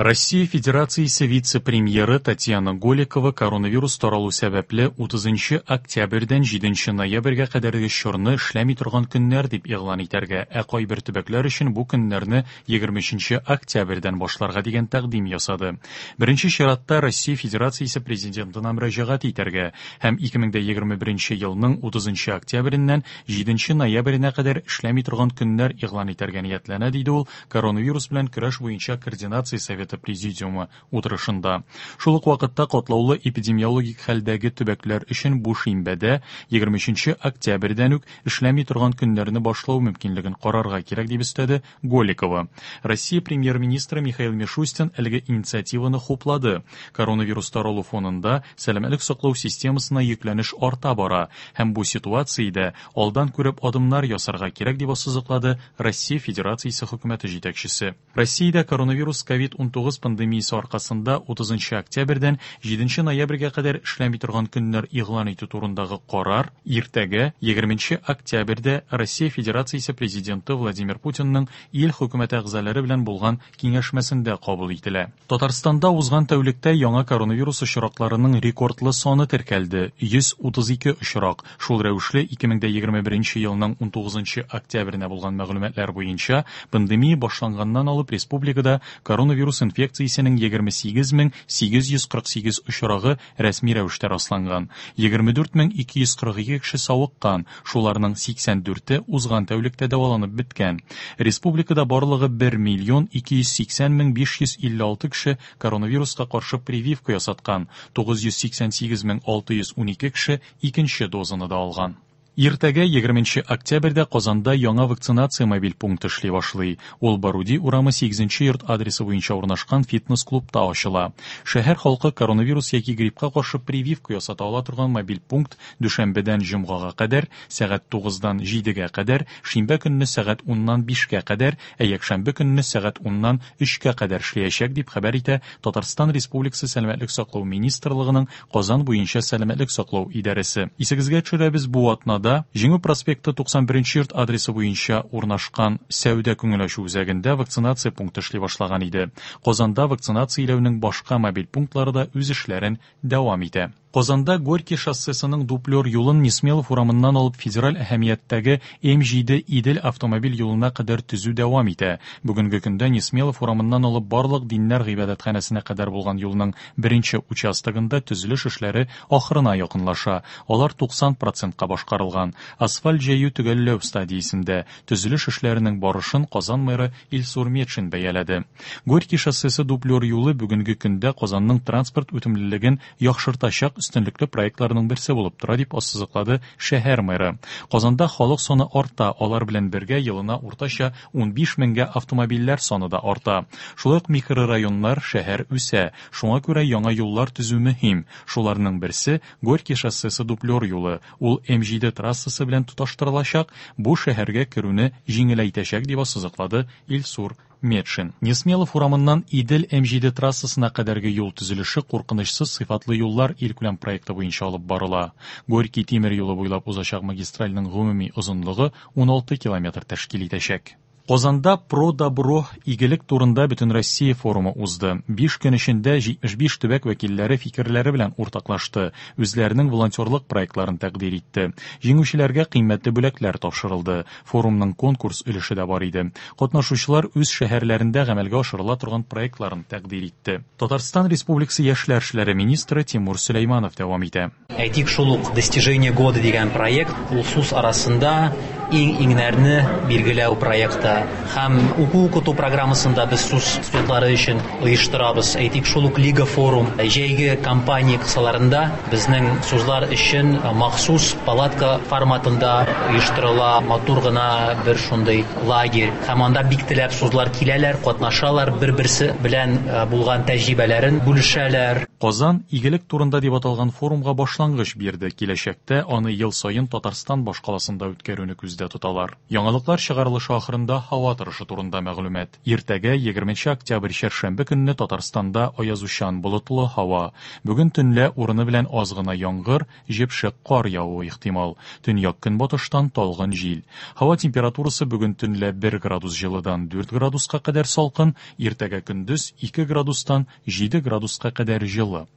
Россия Федерациясе вице-премьеры Татьяна Голикова коронавирус таралу сәбәпле 30 октябрьдән 7 ноябрьгә кадәрге чорны эшләми торган көннәр дип игълан итәргә, ә кайбер төбәкләр өчен бу көннәрне 23 октябрьдән башларга дигән тәкъдим ясады. Беренче чиратта Россия Федерациясе Президентына мөрәҗәгать итәргә һәм 2021 елның 30 октябреннән 7 ноябренә кадәр эшләми торган көннәр игълан итәргә ниятләнә, диде ул коронавирус белән көрәш буенча координация советы президиумы утырышында. Шул ук вакытта катлаулы эпидемиологик хәлдәге төбәкләр өчен бу шимбәдә 23 октябрьдән үк эшләми торган көннәрне башлау мөмкинлеген карарга кирәк, дип өстәде Голикова. Россия премьер-министры Михаил Мишустин әлеге инициативаны хуплады. Коронавирус таралу фонында сәламәтлек саклау системасына йөкләнеш арта бара һәм бу ситуациядә алдан күреп адымнар ясарга кирәк, дип ассызыклады Россия Федерациясе хөкүмәте җитәкчесе. Россиядә коронавирус COVID-19 пандемиясе аркасында 30 октябрьдән 7 ноябрьгә кадәр эшләми торган көннәр игълан итү турындагы карар иртәгә 20 октябрьдә Россия Федерациясе Президенты Владимир Путинның ил хөкүмәте әгъзалары белән булган киңәшмәсендә кабул ителә. Татарстанда узган тәүлектә яңа коронавирус очракларының рекордлы саны теркәлде, 132 очрак. Шул рәвешле 2021 елның 19 октябренә булган мәгълүматлар буенча, пандемия башланганнан алып республикада коронавирус инфекциясенең 28848 очрагы рәсми рәвештә расланган. 24242 кеше савыккан, шуларның 84-е узган тәүлектә дәваланып беткән. Республикада барлыгы 1 миллион 280 мең 556 кеше коронавируска каршы прививка ясаткан, 988 мең 612 кеше икенче дозаны да алган. Иртәгә 20 октябрьдә Казанда яңа вакцинация мобиль пункты эшли башлый. Ул Баруди урамы 8 йорт адресы буенча урнашкан фитнес-клубта ачыла. Шәһәр халкы коронавирус яки гриппка каршы прививка ясата ала торган мобиль пункт дүшәмбедән җомгага кадәр сәгать 9-дан 7-гә кадәр, шимбә көнне сәгать 10-нан 5-кә кадәр, ә якшәмбе көнне сәгать 10-нан 3-кә кадәр эшләячәк, дип хәбәр итә Татарстан Республикасы Сәламәтлек саклау министрлыгының Казан буенча сәламәтлек саклау идарәсе. Исегезгә төшерәбез, бу атнада Җиңү проспекты 91 йорт адресы буенча урнашкан сәүдә күңел ачу үзәгендә вакцинация пункты эшли башлаган иде. Казанда вакцинацияләүнең башка мобиль пунктлары да үз эшләрен дәвам итә. Казанда Горький шоссесының дублер юлын Несмелов урамыннан алып федераль әһәмияттәге М7 Идел автомобиль юлына кадәр төзү дәвам итә. Бүгенге көндә Несмелов урамыннан алып барлык диннәр гыйбадәтханәсенә кадәр булган юлның беренче участогында төзелеш эшләре ахырына якынлаша. Алар 90 процентка башкарылган. Асфальт җәю төгәлләү стадиясендә. Төзелеш эшләренең барышын Казан мэры Илсур Метшин бәяләде. Горький шоссесы дублер юлы бүгенге көндә Казанның транспорт үтемлелеген яхшыртачак өстенлекле проектларның берсе булып тора, дип ассызыклады шәһәр мэры. Казанда халык саны арта, алар белән бергә елына уртача 15 меңгә автомобильләр саны да арта. Шулай ук микрорайоннар, шәһәр үсә. Шуңа күрә яңа юллар төзү мөһим. Шуларның берсе, Горький шоссесы дублер юлы. Ул М7 трассасы белән тоташтырылачак, бу шәһәргә керүне җиңеләйтәчәк, дип ассызыклады Илсур Метшин. Несмелов урамыннан Идел М7 трассасына кадәрге юл төзелеше куркынычсыз сыйфатлы юллар илкүләм проекты буенча алып барыла. Горький тимер юлы буйлап узачак магистральның гомуми озынлыгы 16 километр тәшкил итәчәк. Казанда Про добро игелек турында Бөтенроссия форумы узды. Биш көн эчендә 75 төбәк вәкилләре фикерләре белән уртаклашты, үзләренең волонтерлык проектларын тәкъдир итте. Җиңүчеләргә кыйммәтле бүләкләр тапшырылды. Форумның конкурс өлеше дә бар иде. Катнашучылар үз шәһәрләрендә гамәлгә ашырыла торган проектларын тәкъдир итте. Татарстан Республикасы яшьләр эшләре министры Тимур Сөләйманов дәвам итә. Әйтик, шул ук Достижение года дигән проект, ул СУС арасында иң-иңнәрне билгеләү проекты. Һәм уку-укыту программасын да без СУС студентлары өчен оештырабыз. Әйтик, шул ук Лига форум, җәйге кампания кысаларында безнең СУЗлар өчен махсус палатка форматында оештырыла матур гына бер шундый лагерь. Һәм анда бик теләп СУЗлар киләләр, катнашалар, бер-берсе белән булган тәҗрибәләрен бүлешәләр. Казан, игелек турында дип аталган форумга башлангыч бирде, киләчәктә аны ел саен Татарстан башкаласында үткәрүне күздә күздә тоталар. Яңалыклар чыгарылышы ахырында һава торышы турында мәгълүмат. Иртәгә, 20 октябрь чәршәмбе көнне Татарстанда аязучан болытлы һава. Бүген төнлә урыны белән аз гына яңгыр, җепшек кар явуы ихтимал. Төньяк-көнбатыштан талгын җил. Һава температурасы бүген төнлә 1 градус җылыдан 4 градуска кадәр салкын, иртәгә көндез 2 градустан 7 градуска кадәр җылы.